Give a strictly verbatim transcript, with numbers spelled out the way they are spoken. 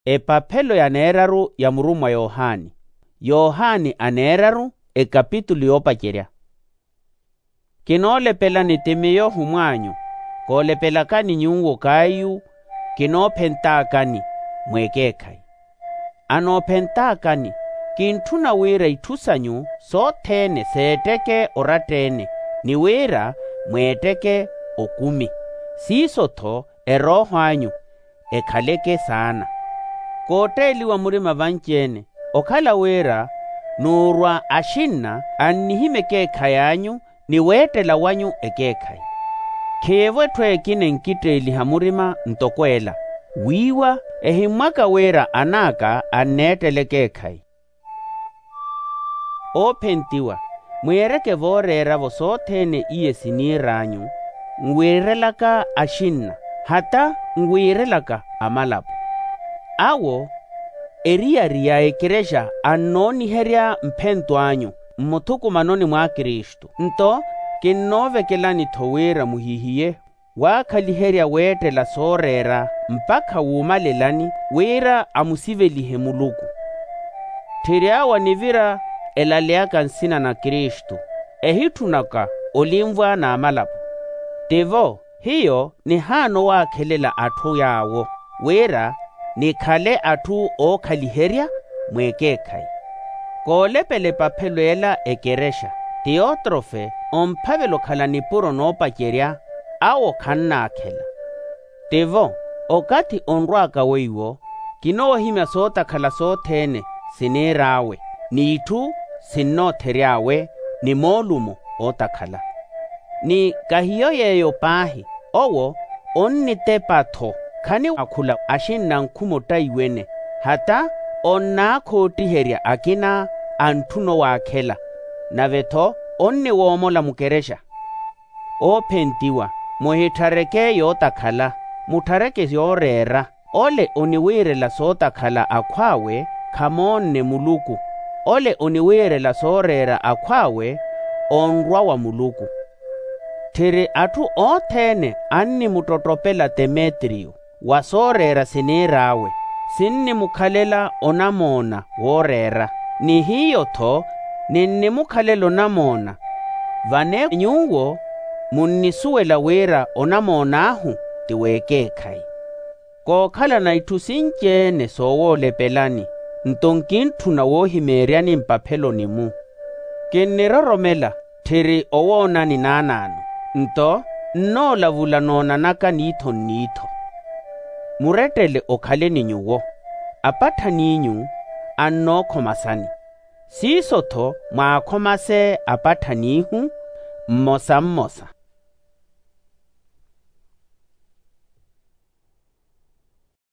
Epaphelo ya neeraru ya murumwa yohani. Yohani a neeraru, ekapitulu yoopacerya. Kinoolepelani ti miyo ohimw'anyu. Koolepelakani nyuwo kaayu. Kinoophentaakani, mweekeekhayi. Anoophentaakani, kintthuna wira itthu sanyu sothene seetteke oratta-ene, ni wira mweetteke okumi. Siiso-tho erooho anyu ekhaleke saana. Kootteeliwa murima vanci-ene, okhala wira nuurwa axinna annihimya ekeekhayi anyu ni weettela wanyu ekeekhayi. Kheiyevo etthu ekina enkitteeliha murima ntoko ela, wiiwa ehimmwaka wira an'aka anneettela ekeekhayi. Oophentiwa, mwiireke vooreera-vo sothene iye siniir'anyu, nwiirelaka axinna, hata nwiirelaka amalapo. Awo eriyari ya ekerexa annooniherya mphento anyu mmuthukumanoni mwa kristu. Nto kinnoovekelani-tho wira muhihiye waakhaliherya weettela sooreera mpakha wuumalelani, wira amusivelihe muluku. Tthiri awo anivira elaleyaka nsina na kristu, ehitthunaka olinvwa n'amalapo. Tivo hiyo nihaana owaakhelela atthu yaawo, wira nikhale atthu ookhaliherya mweekeekhayi. Koolepela epaphelo ela ekerexa, tiyotrofe omphavela okhala nipuro noopacerya, awo khannaakhela. Tivo okathi onrw'aka weiwo, kinoohimya sootakhala sothene siniir'awe, n'itthu sinnoothery'awe, ni moolumo ootakhala. Ni kahiyo yeeyo paahi, owo onnitepa-tho, khaniwaakhula axinna nkhuma ottaiwene, hata onnaakhoottiherya akina antthuna owaakhela, nave-tho onniwoomola mukerexa. Oophentiwa, muhitthareke yootakhala, mutthareke yooreera. Ole oniwiirela sootakhala akhw'awe khamoonne muluku. Ole oniwiirela sooreera akhw'awe onrwa wa muluku. Tthiri atthu othene annimuttottopela temetriyo wa sooreera siniir'awe, sinnimukhalela onamoona wooreera. Ni hiyo-tho ninnimukhalela onamoona, vane nyuwo munnisuwela wira onamoon'ahu ti w'ekeekhayi. Kookhalana itthu sinci-ene soowoolepelani, nto nkintthuna woohimeeryani mpapheloni-mu. Kinniroromela tthiri owoonani naanaano, nto nnoolavula noonanaka niitho-nniitho. Murettele okhale ni nyuwo. Apatthaniinyu annookhomasani, siiso-tho mwaakhomase apatthaniihu mmosa mmosa.